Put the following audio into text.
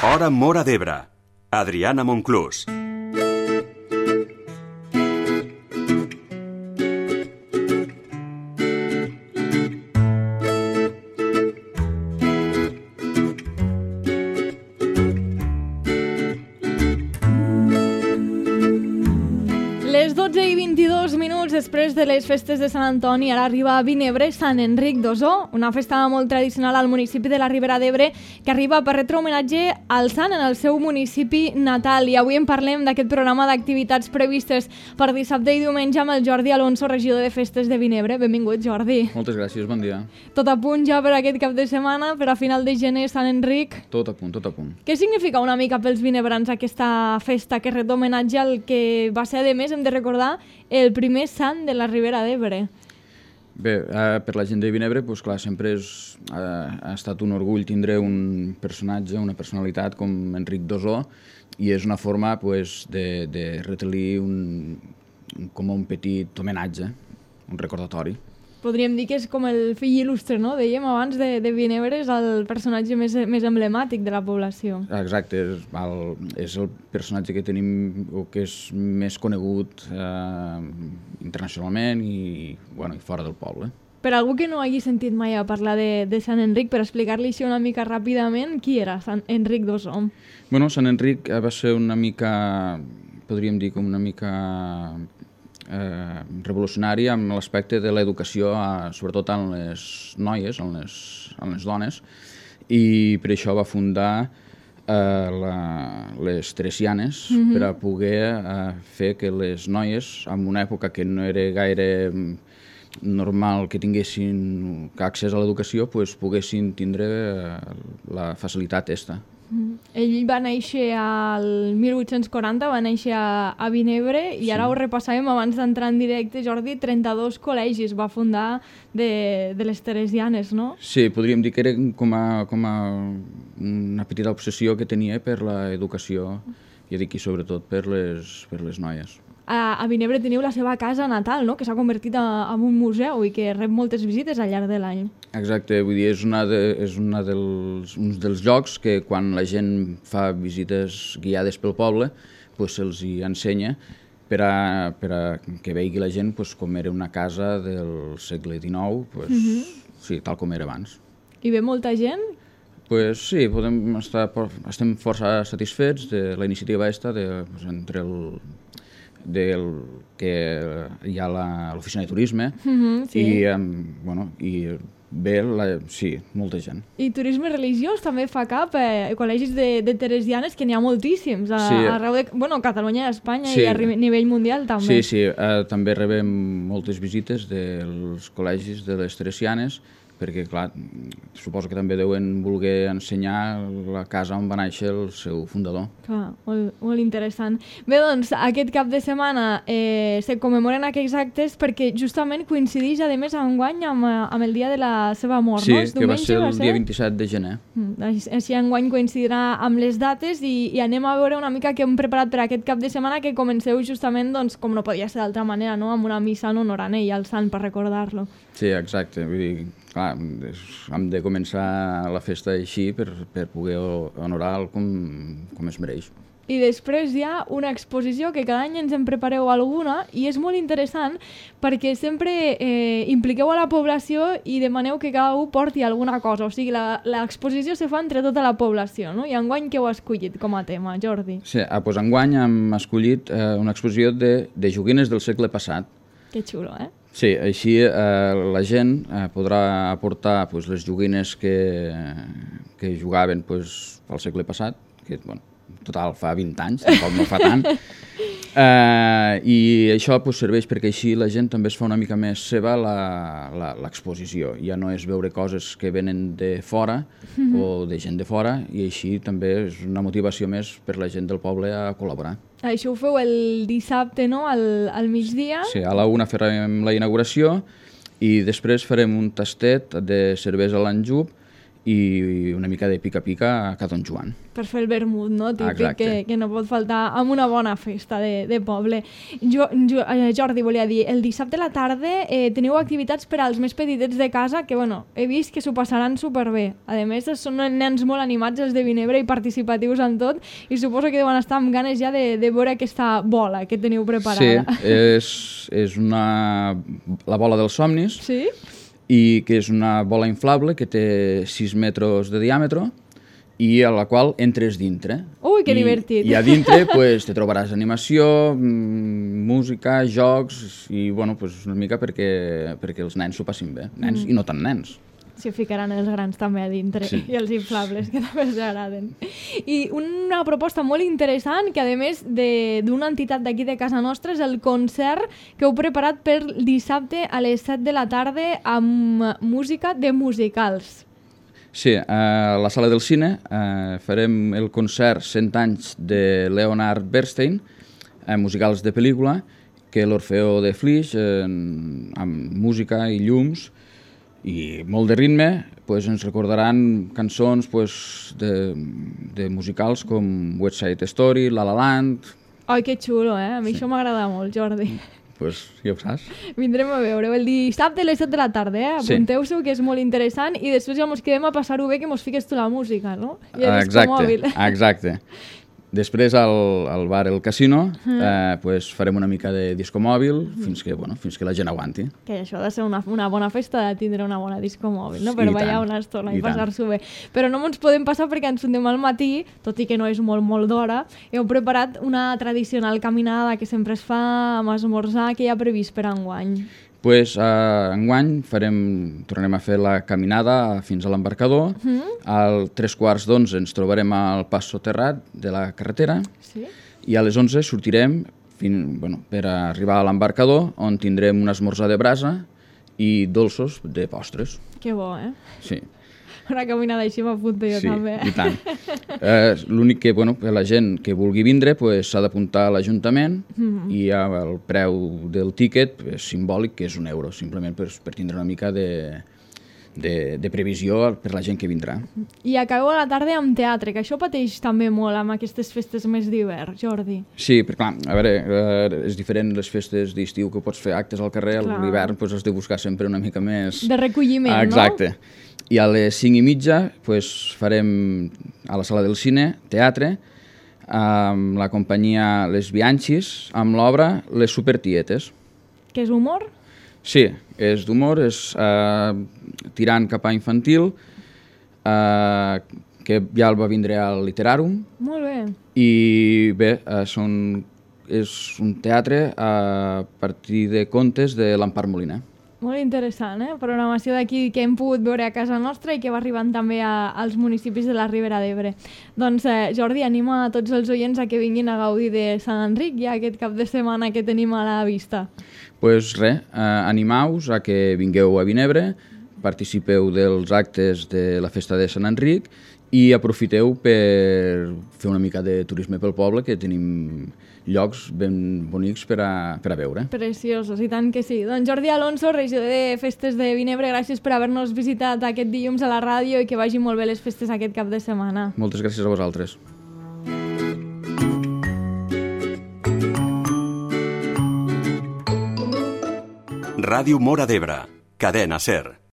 Hora Móra d'Ebre. Adriana Monclús. Les 12:22 després de les festes de Sant Antoni, ara arriba a Vinebre Sant Enric d'Ossó, una festa molt tradicional al municipi de la Ribera d'Ebre que arriba per retre homenatge al sant en el seu municipi natal. I avui en parlem d'aquest programa d'activitats previstes per dissabte i diumenge amb el Jordi Alonso, regidor de festes de Vinebre. Benvingut, Jordi. Moltes gràcies, bon dia. Tot a punt ja per aquest cap de setmana, per a final de gener, Sant Enric. Tot a punt, tot a punt. Què significa una mica pels vinebrans aquesta festa que ret homenatge al que va ser, a més, hem de recordar, el primer sant de la Ribera d'Ebre? Bé, per la gent de Vinebre, doncs clar, sempre ha estat un orgull tindre un personatge, una personalitat com Enric d'Ossó, i és una forma de retre-li com un petit homenatge, un recordatori. Podríem dir que és com el fill il·lustre, no? Dèiem abans de Vinebre, és el personatge més emblemàtic de la població. Exacte, és el personatge que tenim, o que és més conegut internacionalment i fora del poble. Per algú que no hagi sentit mai a parlar de Sant Enric, per explicar-li això una mica ràpidament, qui era Sant Enric d'Ossó? Bueno, Sant Enric va ser una mica, podríem dir, com una mica revolucionari amb l'aspecte de l'educació, sobretot en les noies, en les dones, i per això va fundar les Teresianes, per a poder fer que les noies, en una època que no era gaire normal que tinguessin accés a l'educació, poguessin tindre la facilitat aquesta. Ell va néixer al 1840, va néixer a Vinebre, i ara ho repassàvem abans d'entrar en directe, Jordi, 32 col·legis va fundar de les Teresianes, no? Sí, podríem dir que era com una petita obsessió que tenia per l'educació, i dic, sobretot per les noies. A Vinebre teniu la seva casa natal, no?, que s'ha convertit en un museu i que rep moltes visites al llarg de l'any. Exacte, vull dir, és un dels llocs que quan la gent fa visites guiades pel poble, se'ls hi ensenya per a que vegi la gent com era una casa del segle XIX, sí, tal com era abans. I ve molta gent? Sí, estem força satisfets de la iniciativa aquesta, entre que hi ha l'oficina de turisme, i ve, sí, molta gent. I turisme religiós també fa cap, col·legis de Teresianes, que n'hi ha moltíssims, arreu de Catalunya i Espanya, i a nivell mundial també. Sí, també rebem moltes visites dels col·legis de les Teresianes, perquè, clar, suposo que també deuen voler ensenyar la casa on va néixer el seu fundador. Clar, molt interessant. Bé, doncs, aquest cap de setmana se commemoren aquells actes perquè justament coincideix, a més, enguany amb el dia de la seva mort, no? Sí, que va ser el dia 27 de gener. Així enguany coincidirà amb les dates i anem a veure una mica què hem preparat per aquest cap de setmana, que comenceu justament, doncs, com no podia ser d'altra manera, no?, amb una missa en honor a ell, al sant, per recordar-lo. Sí, exacte. Vull dir, clar, hem de començar la festa així per poder honorar-lo com es mereix. I després hi ha una exposició que cada any ens en prepareu alguna i és molt interessant perquè sempre impliqueu a la població i demaneu que cada un porti alguna cosa. O sigui, l'exposició se fa entre tota la població, no? I enguany què heu escollit com a tema, Jordi? Sí, doncs enguany hem escollit una exposició de joguines del segle passat. Que xulo, eh? Sí, així la gent podrà aportar les joguines que jugaven al segle passat, que, total, fa 20 anys, tampoc no fa tant, i això serveix perquè així la gent també es fa una mica més seva l'exposició. Ja no és veure coses que venen de fora o de gent de fora, i així també és una motivació més per la gent del poble a col·laborar. Això ho feu el dissabte, no?, al migdia? Sí, a la 1 farem la inauguració i després farem un tastet de cervesa a l'Anjub i una mica de pica-pica a Don Joan. Per fer el vermut, no? Típic que no pot faltar amb una bona festa de poble. Jordi, volia dir, el dissabte a la tarda teniu activitats per als més petitets de casa que, bueno, he vist que s'ho passaran superbé. A més, són nens molt animats els de Vinebre i participatius en tot, i suposo que deuen estar amb ganes ja de veure aquesta bola que teniu preparada. Sí, és la bola dels somnis, sí? I que és una bola inflable que té 6 metres de diàmetre i a la qual entres dintre. Ui, que divertit! I a dintre pues, te trobaràs animació, música, jocs i bueno, pues, una mica perquè els nens s'ho passin bé, nens i no tan nens. S'hi ficaran els grans també a dintre, sí. I els inflables, que també els agraden. I una proposta molt interessant, que a més d'una entitat d'aquí de casa nostra, és el concert que heu preparat per dissabte a les 7 de la tarda amb música de musicals. Sí, a la sala del cine farem el concert 100 anys de Leonard Bernstein, musicals de pel·lícula, que l'Orfeó de Flix, amb música i llums, i molt de ritme, pues, ens recordaran cançons pues, de musicals com West Side Story, La La Land... Ai, que xulo, A mi això m'agrada molt, Jordi. Pues ja ho saps. Vindrem a veure el dissabte a les 7 de la tarda, Apunteu-s'ho, que és molt interessant, i després ja ens quedem a passar-ho bé, que mos fiques tu la música, no? I el discomòbil. Exacte. Després al bar El Casino pues, farem una mica de discomòbil fins que la gent aguanti. Que això ha de ser una bona festa de tindre una bona discomòbil, no? Per ballar una estona i passar-s'ho bé. Però no ens podem passar perquè ens fundem al matí, tot i que no és molt d'hora. Heu preparat una tradicional caminada que sempre es fa amb esmorzar, que hi ha previst per enguany. Pues, enguany tornarem a fer la caminada fins a l'embarcador. Al 3:15 ens trobarem al pas soterrat de la carretera i a les 11 sortirem per arribar a l'embarcador, on tindrem un esmorzar de brasa i dolços de postres. Que bo, Sí. Una caminada així m'apunto jo també. Sí, i tant. L'únic que, la gent que vulgui vindre s'ha d'apuntar a l'Ajuntament i el preu del tíquet és simbòlic, que és €1, simplement per tindre una mica de previsió per la gent que vindrà. I acabeu a la tarda amb teatre, que això pateix també molt amb aquestes festes més d'hivern, Jordi. Sí, però clar, a veure, és diferent les festes d'estiu, que pots fer actes al carrer, a l'hivern has de buscar sempre una mica més... De recolliment, no? Exacte. I a les 5:30 farem a la sala del cine teatre amb la companyia Les Bianchis, amb l'obra Les Supertietes. Que és humor? Sí, és d'humor, és tirant cap a infantil, que ja el va vindre al Literarum. Molt bé. I bé, és un teatre a partir de contes de l'Empar Moliner. Molt interessant, Programació d'aquí que hem pogut veure a casa nostra i que va arribant també als municipis de la Ribera d'Ebre. Doncs, Jordi, anima a tots els oients a que vinguin a gaudir de Sant Enric ja aquest cap de setmana que tenim a la vista. Doncs res, animeu-vos a que vingueu a Vinebre, participeu dels actes de la festa de Sant Enric i aprofiteu per fer una mica de turisme pel poble, que tenim llocs ben bonics per a veure. Preciosos, i tant que sí. Doncs Jordi Alonso, regidor de Festes de Vinebre, gràcies per haver-nos visitat aquest dilluns a la ràdio i que vagin molt bé les festes aquest cap de setmana. Moltes gràcies a vosaltres. Ràdio Móra d'Ebre, cadena SER.